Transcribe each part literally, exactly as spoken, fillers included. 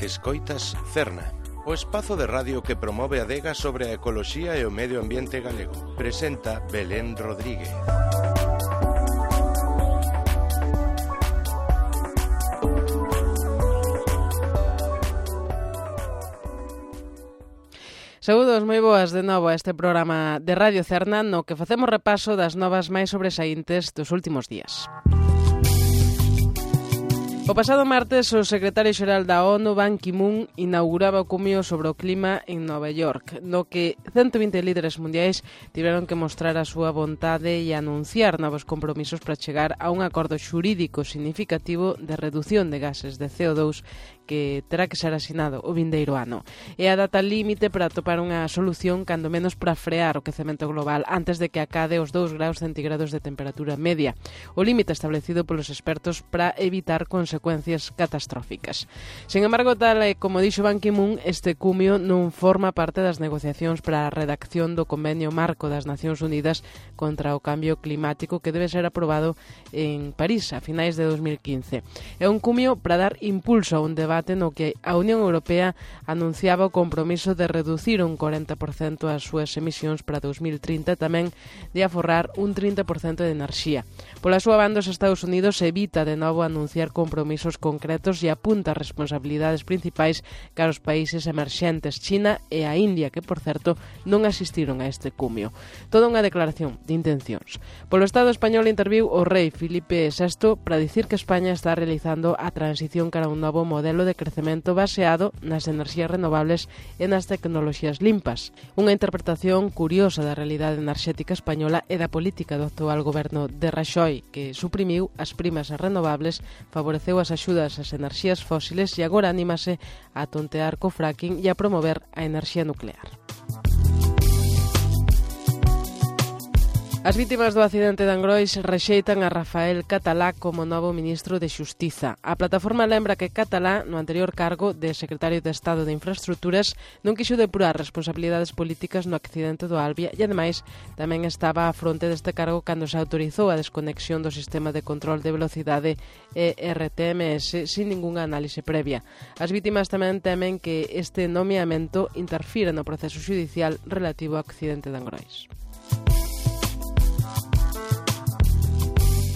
Escoitas Cerna, o espazo de radio que promove a adega sobre a ecoloxía e o medio ambiente galego. Presenta Belén Rodríguez. Saúdos, moi boas de novo a este programa de Radio Cerna no que facemos repaso das novas máis sobresaíntes dos últimos días. O pasado martes, o secretario xeral da ONU, Ban Ki-moon, inauguraba o cumio sobre o clima en Nova York, no que ciento vinte líderes mundiais tiveron que mostrar a súa vontade e anunciar novos compromisos para chegar a un acordo xurídico significativo de redución de gases de C O dous que terá que ser asinado o vindeiro ano. É a data límite para atopar unha solución, cando menos para frear o quecemento global antes de que acade os dous graus centígrados de temperatura media, o límite establecido polos expertos para evitar consecuencias catastróficas. Sen embargo, tal e como dixo Ban Ki-moon, este cumio non forma parte das negociacións para a redacción do Convenio Marco das Nacións Unidas contra o Cambio Climático que debe ser aprobado en París a finais de dos mil quince. É un cumio para dar impulso a un debate no que a Unión Europea anunciaba o compromiso de reducir un corenta por cento as súas emisións para dos mil trinta e tamén de aforrar un trinta por cento de enerxía. Pola súa banda, os Estados Unidos evita de novo anunciar compromisos concretos e apunta as responsabilidades principais cara aos países emerxentes, China e a India, que, por certo, non asistiron a este cumio. Toda unha declaración de intencións. Polo Estado español interviu o rei Filipe sexto para dicir que España está realizando a transición cara a un novo modelo de crecemento baseado nas enerxías renovables e nas tecnoloxías limpas. Unha interpretación curiosa da realidade enerxética española e da política do actual goberno de Raxoi, que suprimiu as primas renovables, favoreceu as axudas ás enerxías fósiles e agora anímase a tontear co fracking e a promover a enerxía nuclear. As vítimas do accidente de Angrois rexeitan a Rafael Catalá como novo ministro de Xustiza. A plataforma lembra que Catalá, no anterior cargo de secretario de Estado de Infraestructuras, non quixo depurar responsabilidades políticas no accidente do Albia e, ademais, tamén estaba á fronte deste cargo cando se autorizou a desconexión do sistema de control de velocidade E R T M S sin ningunha análise previa. As vítimas tamén temen que este nomeamento interfira no proceso xudicial relativo ao accidente de Angrois.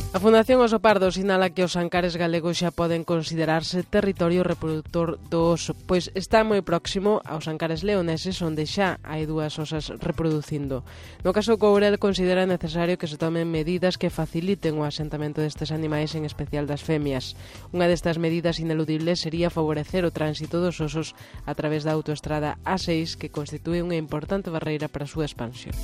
A Fundación Oso Pardo sinala que os ancares galegos xa poden considerarse territorio reproductor do oso, pois está moi próximo aos ancares leoneses, onde xa hai dúas osas reproducindo. No caso Courel considera necesario que se tomen medidas que faciliten o asentamento destes animais, en especial das femias. Unha destas medidas ineludibles sería favorecer o tránsito dos osos a través da autoestrada A seis, que constitúe unha importante barreira para a súa expansión.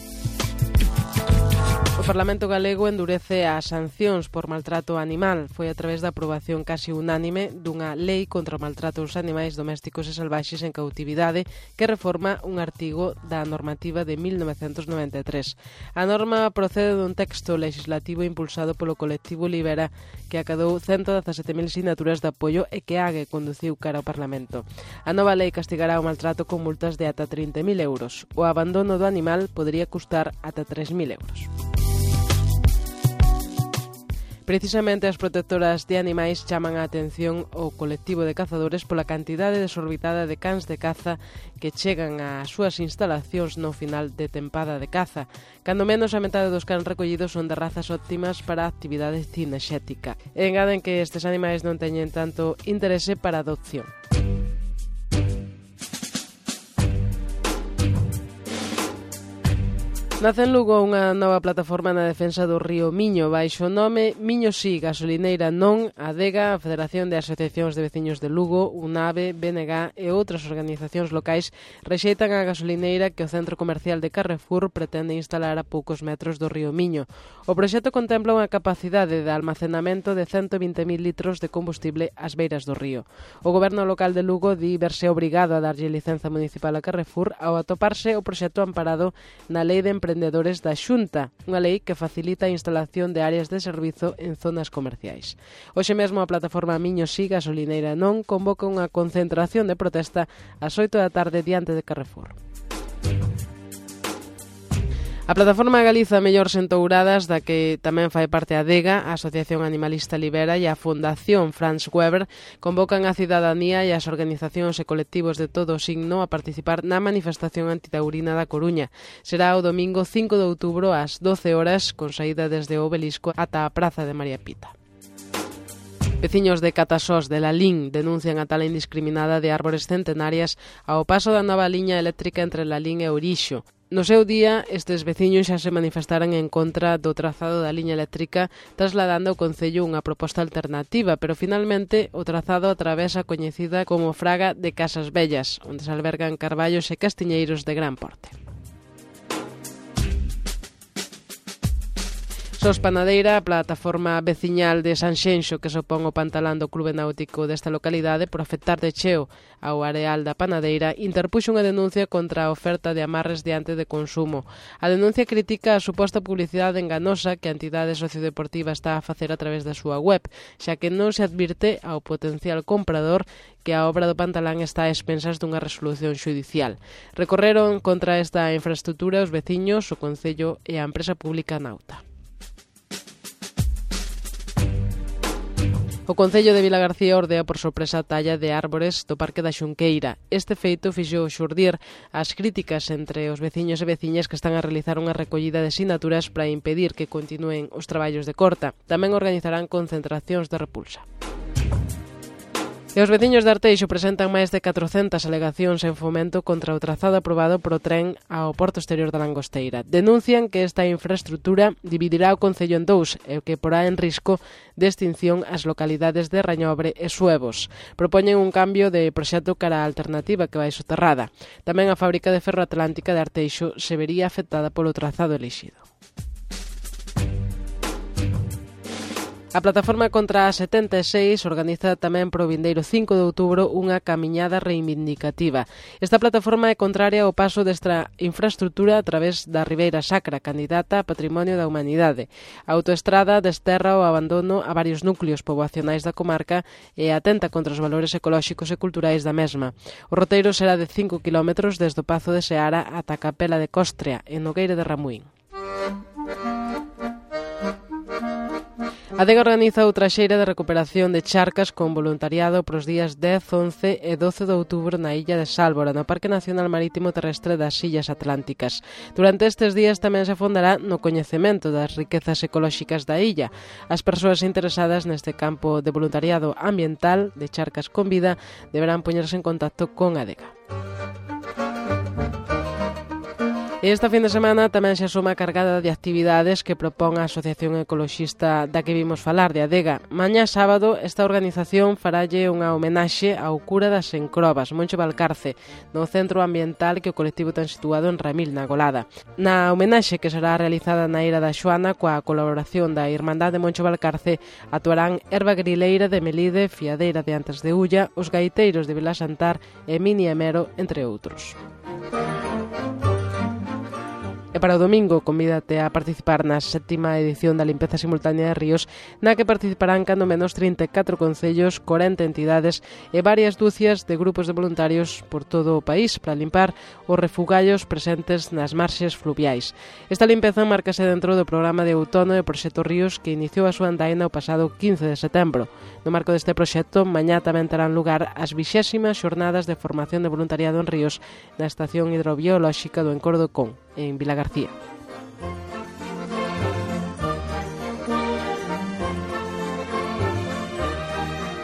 O Parlamento galego endurece as sancións por maltrato animal. Foi a través da aprobación casi unánime dunha lei contra o maltrato aos animais domésticos e salvaxes en cautividade que reforma un artigo da normativa de mil novecentos noventa e tres. A norma procede dun texto legislativo impulsado polo colectivo Libera que acadou ciento dezasete mil sinaturas de apoio e que Ague conduciu cara ao Parlamento. A nova lei castigará o maltrato con multas de ata trinta mil euros. O abandono do animal podería custar ata tres mil euros. Precisamente as protectoras de animais chaman a atención ao colectivo de cazadores pola cantidade desorbitada de cans de caza que chegan ás súas instalacións no final de tempada de caza. Cando menos a metade dos cans recollidos son de razas óptimas para a actividade cinexética. E engaden que estes animais non teñen tanto interese para a adopción. Nace en Lugo unha nova plataforma na defensa do río Miño, baixo o nome Miño Si, Gasolineira Non, Adega, a Federación de Asociacións de Veciños de Lugo, UNAVE, B N G e outras organizacións locais rexeitan a gasolineira que o centro comercial de Carrefour pretende instalar a poucos metros do río Miño. O proxecto contempla unha capacidade de almacenamento de ciento vinte mil litros de combustible ás beiras do río. O goberno local de Lugo di verse obrigado a darlle licenza municipal a Carrefour ao atoparse o proxecto amparado na Lei de Emprendedores da Xunta, unha lei que facilita a instalación de áreas de servizo en zonas comerciais. Hoxe mesmo a plataforma Miño Si, Gasolineira Non convoca unha concentración de protesta ás oito da tarde diante de Carrefour. A Plataforma Galiza Mellores Entouradas, da que tamén fai parte a Adega, a Asociación Animalista Libera e a Fundación Franz Weber, convocan a cidadanía e as organizacións e colectivos de todo o signo a participar na manifestación antitaurina da Coruña. Será o domingo cinco de outubro ás doce horas, con saída desde o Obelisco ata a Praza de María Pita. Veciños de Catasós de Lalín denuncian a tala indiscriminada de árbores centenarias ao paso da nova liña eléctrica entre Lalín e Ourixo. No seu día, estes veciños xa se manifestaran en contra do trazado da liña eléctrica, trasladando ao Concello unha proposta alternativa, pero finalmente o trazado atravesa a coñecida como Fraga de Casas Vellas, onde se albergan carballos e castiñeiros de gran porte. Sos Panadeira, a plataforma veciñal de Sanxenxo que se opón o pantalán do Clube Náutico desta localidade por afectar de cheo ao areal da Panadeira, interpuxo unha denuncia contra a oferta de amarres diante de consumo. A denuncia critica a suposta publicidade enganosa que a entidade sociodeportiva está a facer a través da súa web, xa que non se advirte ao potencial comprador que a obra do pantalán está a expensas dunha resolución xudicial. Recorreron contra esta infraestrutura os veciños, o Concello e a empresa pública Nauta. O Concello de Vilagarcía ordea por sorpresa a talla de árbores do Parque da Xunqueira. Este feito fixo xurdir as críticas entre os veciños e veciñas que están a realizar unha recollida de sinaturas para impedir que continúen os traballos de corta. Tamén organizarán concentracións de repulsa. E os veciños de Arteixo presentan máis de catrocentas alegacións en fomento contra o trazado aprobado pro tren ao porto exterior da Langosteira. Denuncian que esta infraestrutura dividirá o Concello en dous e que porá en risco de extinción as localidades de Rañobre e Suevos. Propoñen un cambio de proxecto cara á alternativa que vai soterrada. Tamén a fábrica de ferro atlántica de Arteixo se vería afectada polo trazado elixido. A Plataforma contra a setenta e seis organiza tamén pro vindeiro cinco de outubro unha camiñada reivindicativa. Esta plataforma é contraria ao paso desta infraestrutura a través da Ribeira Sacra, candidata a Patrimonio da Humanidade. A autoestrada desterra o abandono a varios núcleos poboacionais da comarca e atenta contra os valores ecolóxicos e culturais da mesma. O roteiro será de cinco kilómetros desde o Pazo de Seara ata a Capela de Costrea, en Nogueira de Ramuín. A Adega organiza outra xeira de recuperación de charcas con voluntariado pros días dez, once e doce de outubro na illa de Sálvora, no Parque Nacional Marítimo Terrestre das Illas Atlánticas. Durante estes días tamén se afondará no coñecemento das riquezas ecolóxicas da illa. As persoas interesadas neste campo de voluntariado ambiental de charcas con vida deberán poñerse en contacto con a Adega. E esta fin de semana tamén se asoma cargada de actividades que propón a Asociación Ecoloxista da que vimos falar, de Adega. Mañá sábado, esta organización faralle unha homenaxe ao cura das Encrobas, Moncho Valcarce, no centro ambiental que o colectivo ten situado en Ramil, na Golada. Na homenaxe que será realizada na Ira da Xoana, coa colaboración da Irmandade Moncho Valcarce, actuarán Herba Grileira de Melide, Fiadeira de Antes de Ulla, os gaiteiros de Vilasantar e Mini Emero, entre outros. E para o domingo, convídate a participar na sétima edición da limpeza simultánea de ríos, na que participarán cando menos trinta e catro concellos, corenta entidades e varias dúcias de grupos de voluntarios por todo o país para limpar os refugallos presentes nas marxes fluviais. Esta limpeza márcase dentro do programa de outono do Proxecto Ríos que iniciou a súa andaina o pasado quince de setembro. No marco deste proxecto, mañá tamén terán lugar as vixésimas xornadas de formación de voluntariado en ríos na Estación Hidrobiolóxica do Encoro do Con, en Vilagarcía.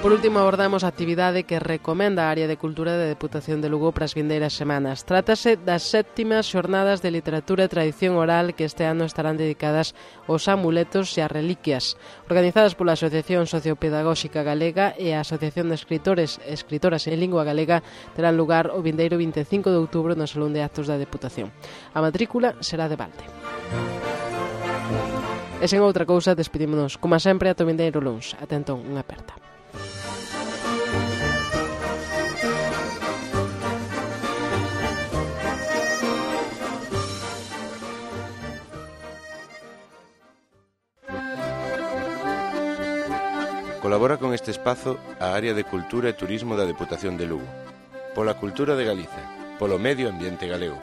Por último, abordamos a actividade que recomenda a Área de Cultura da Deputación de Lugo para as vindeiras semanas. Trátase das séptimas xornadas de literatura e tradición oral que este ano estarán dedicadas aos amuletos e ás reliquias. Organizadas pola Asociación Sociopedagóxica Galega e a Asociación de Escritores e Escritoras en Lingua Galega, terán lugar o vindeiro vinte e cinco de outubro no Salón de Actos da Deputación. A matrícula será de balde. E sen outra cousa, despedímonos, como sempre, ata o vindeiro luns. Ata entón, unha aperta. Colabora con este espazo a Área de Cultura e Turismo da Deputación de Lugo. Pola cultura de Galiza, polo medio ambiente galego.